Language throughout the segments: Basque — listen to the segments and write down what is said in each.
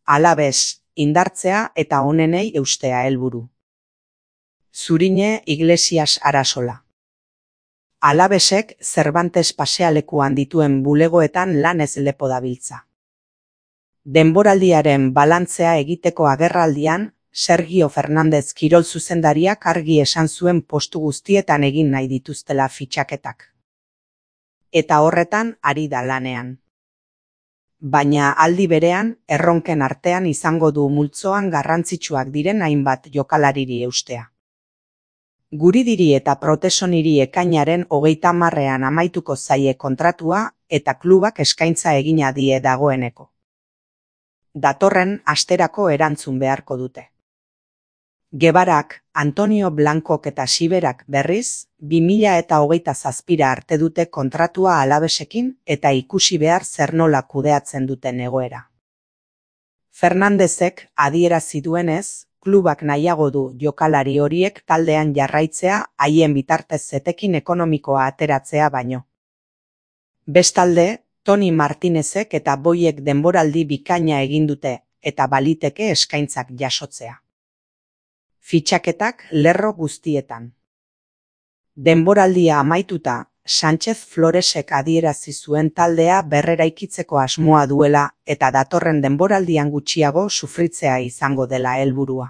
Alabes, indartzea eta onenei eustea helburu. Zurine Iglesias Arasola. Alabesek Cervantes pasealekuan dituen bulegoetan lanez lepo dabiltza. Denboraldiaren balantzea egiteko agerraldian, Sergio Fernández kirol zuzendariak argi esan zuen postu guztietan egin nahi dituztela fitxaketak. Eta horretan ari da lanean. Baina aldi berean, erronken artean izango du multzoan garrantzitsuak diren hainbat jokalariri eustea. Guridiri eta Protesoniri ekainaren 30ean amaituko zaie kontratua eta klubak eskaintza egina die dagoeneko. Datorren asterako erantzun beharko dute. Guevarak, Antonio Blancok eta Siberak berriz, 2027 arte dute kontratua Alabesekin eta ikusi behar zer nola kudeatzen duten egoera. Fernandezek adierazi duenez, klubak nahiago du jokalari horiek taldean jarraitzea haien bitartez etekin ekonomikoa ateratzea baino. Bestalde, Toni Martinezek eta Boiek denboraldi bikaina egin dute eta baliteke eskaintzak jasotzea. Fitxaketak lerro guztietan. Denboraldia amaituta, Sánchez Floresek adierazi zuen taldea berreraikitzeko asmoa duela eta datorren denboraldian gutxiago sufritzea izango dela helburua.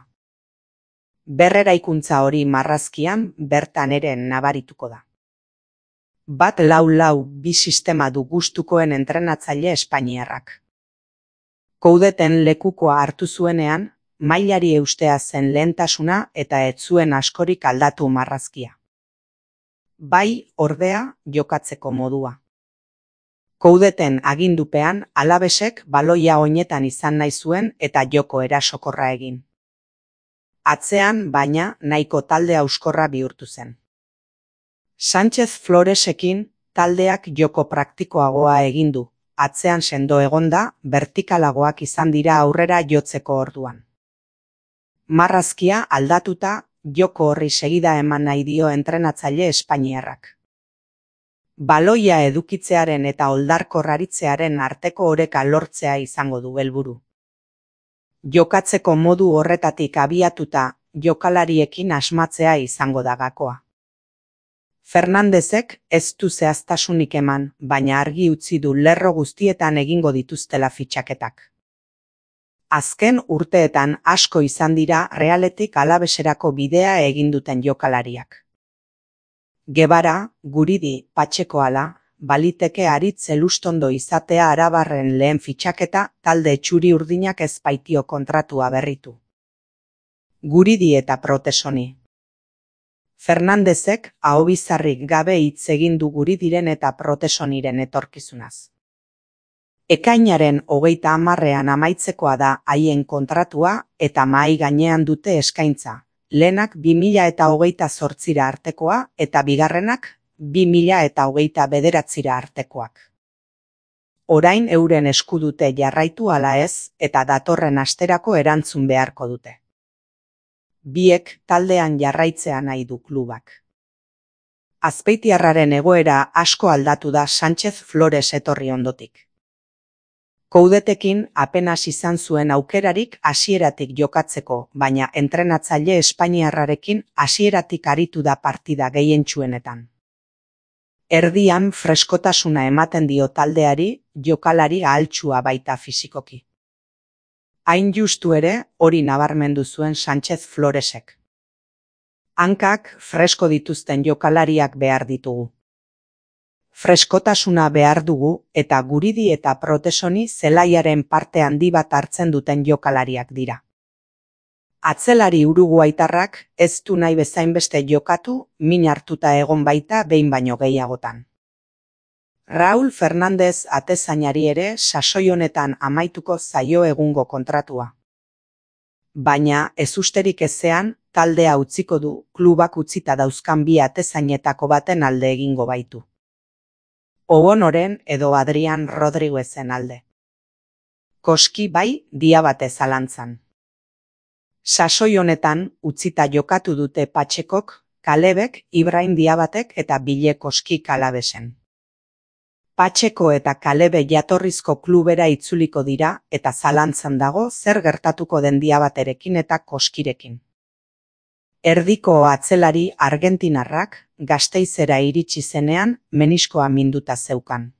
Berreraikuntza hori marrazkian bertan ere nabarituko da. 4-4-2 sistema du gustukoen entrenatzaile espainiarrak. Koudeten lekukoa hartu zuenean, mailari eustea zen lehentasuna eta ez zuen askorik aldatu marrazkia. Bai, ordea, jokatzeko modua. Koudeten agindupean Alabesek baloia oinetan izan nahi zuen eta joko erasokorra egin. Atzean, baina, nahiko talde hauskorra bihurtu zen. Sánchez Floresekin taldeak joko praktikoagoa egin du, atzean sendo egonda, vertikalagoak izan dira aurrera jotzeko orduan. Marrazkia aldatuta, joko horri segida eman nahi dio entrenatzaile espainiarrak. Baloia edukitzearen eta oldarkorraritzearen arteko oreka lortzea izango du helburu. Jokatzeko modu horretatik abiatuta, jokalariekin asmatzea izango da gakoa. Fernandezek ez du zehaztasunik eman, baina argi utzi du lerro guztietan egingo dituztela fitxaketak. Azken urteetan asko izan dira Realetik Alabeserako bidea egin duten jokalariak. Guevara, Guridi, Patxekoala, baliteke Aritz Elustondo izatea arabarren lehen fitxaketa talde txuri urdinak ez baitio kontratua berritu. Guridi eta Protesoni. Fernandezek ahobizarrik gabe hitz egin du Guridiren eta Protesoniren etorkizunaz. Ekainaren 30ean amaitzekoa da haien kontratua eta mahai gainean dute eskaintza, lehenak 2028 artekoa eta bigarrenak 2029 artekoak. Orain euren esku dute jarraitu ala ez eta datorren asterako erantzun beharko dute. Biek taldean jarraitzea nahi du klubak. Azpeitiarraren egoera asko aldatu da Sánchez Flores etorri ondotik. Koudetekin apenas izan zuen aukerarik hasieratik jokatzeko, baina entrenatzaile espainiarrarekin hasieratik aritu da partida gehientsuenetan. Erdian freskotasuna ematen dio taldeari, jokalari ahaltsua baita fisikoki. Hain justu ere, hori nabarmendu zuen Sánchez Floresek. Hankak fresko dituzten jokalariak behar ditugu. Freskotasuna behar dugu eta Guridi eta Protesoni zelaiaren parte handi bat hartzen duten jokalariak dira. Atzelari uruguaitarrak ez du nahi bezainbeste jokatu, min hartuta egon baita behin baino gehiagotan. Raúl Fernández atezainari ere sasoi honetan amaituko zaio egungo kontratua. Baina ezusterik ezean taldea utziko du klubak utzita dauzkan bi atezainetako baten alde egingo baitu. Obonoren edo Adrián Rodríguezen alde. Koski bai Diabate zalantzan. Sasoi honetan utzita jokatu dute Patxekok, Kalebek, Ibrahim Diabatek eta Bile Koski Kalabesen. Patxeko eta Kalebe jatorrizko klubera itzuliko dira eta zalantzan dago zer gertatuko den Diabaterekin eta Koskirekin. Erdiko atzelari argentinarrak Gasteizera iritsi zenean meniskoa minduta zeukan.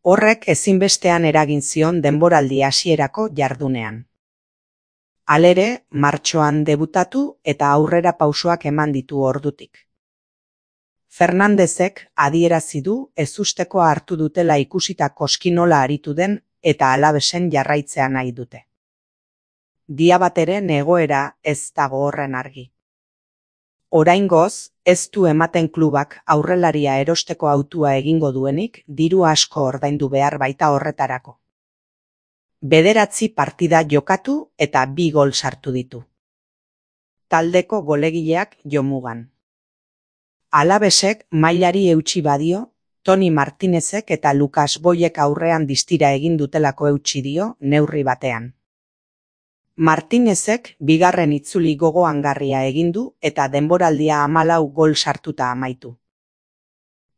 Horrek ezinbestean eragin zion denboraldi hasierako jardunean. Halere, martxoan debutatu eta aurrera pausoak eman ditu ordutik. Fernandezek adierazi du ezusteko hartu dutela ikusita Koski nola aritu den eta Alavesen jarraitzea nahi dute. Diabateren egoera ez dago horren argi. Oraingoz, ez du ematen klubak aurrelaria erosteko hautua egingo duenik diru asko ordaindu behar baita horretarako. 9 partida jokatu eta 2 gol sartu ditu. Taldeko golegileak jomugan. Alavesek mailari eutsi badio, Toni Martinezek eta Lucas Boyek aurrean distira egin dutelako eutsi dio neurri batean. Martinezek bigarren itzuli gogoangarria egin du eta denboraldia 14 gol sartuta amaitu.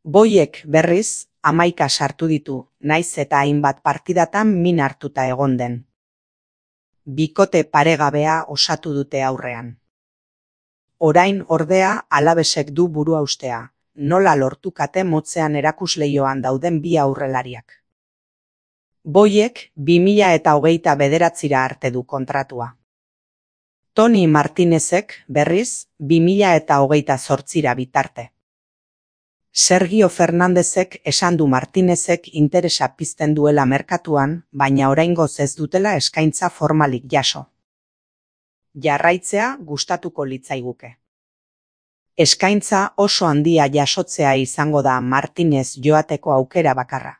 Boyek berriz 11 sartu ditu, naiz eta hainbat partidatan min hartuta egon den. Bikote paregabea osatu dute aurrean. Orain ordea Alavesek du buruhaustea, nola lortukate motzean erakusleioan dauden bi aurrelariak. Boyek 2029 arte du kontratua. Toni Martinezek berriz 2028 bitarte. Sergio Fernandezek esan du Martinezek interesa pizten duela merkatuan, baina oraingoz ez dutela eskaintza formalik jaso. Jarraitzea gustatuko litzaiguke. Eskaintza oso handia jasotzea izango da Martinez joateko aukera bakarra.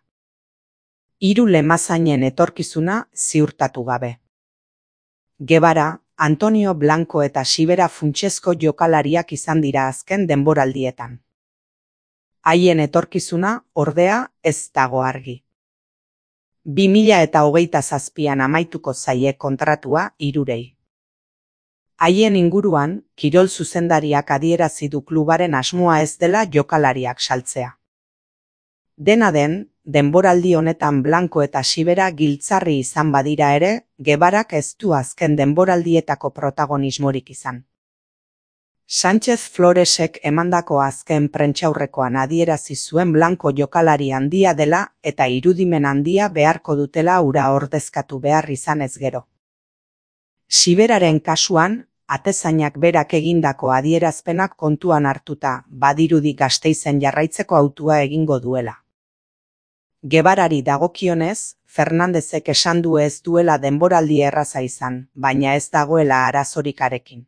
3 lemazainen etorkizuna ziurtatu gabe. Guevara, Antonio Blanco eta Sibera funtsezko jokalariak izan dira azken denboraldietan. Haien etorkizuna, ordea, ez dago argi. 2027an amaituko zaie kontratua 3. Haien inguruan, kirol zuzendariak adierazi du klubaren asmoa ez dela jokalariak saltzea. Dena den, denboraldi honetan Blanco eta Sibera giltzarri izan badira ere, Guevarak ez du azken denboraldietako protagonismorik izan. Sánchez Floresek emandako azken prentsaurrekoan adierazi zuen Blanco jokalari handia dela eta irudimen handia beharko dutela hura ordezkatu behar izanez gero. Siberaren kasuan, atezainak berak egindako adierazpenak kontuan hartuta badirudi Gasteizen jarraitzeko hautua egingo duela. Guevarari dagokionez, Fernandezek esan du ez duela denboraldi erraza izan, baina ez dagoela arazorik harekin.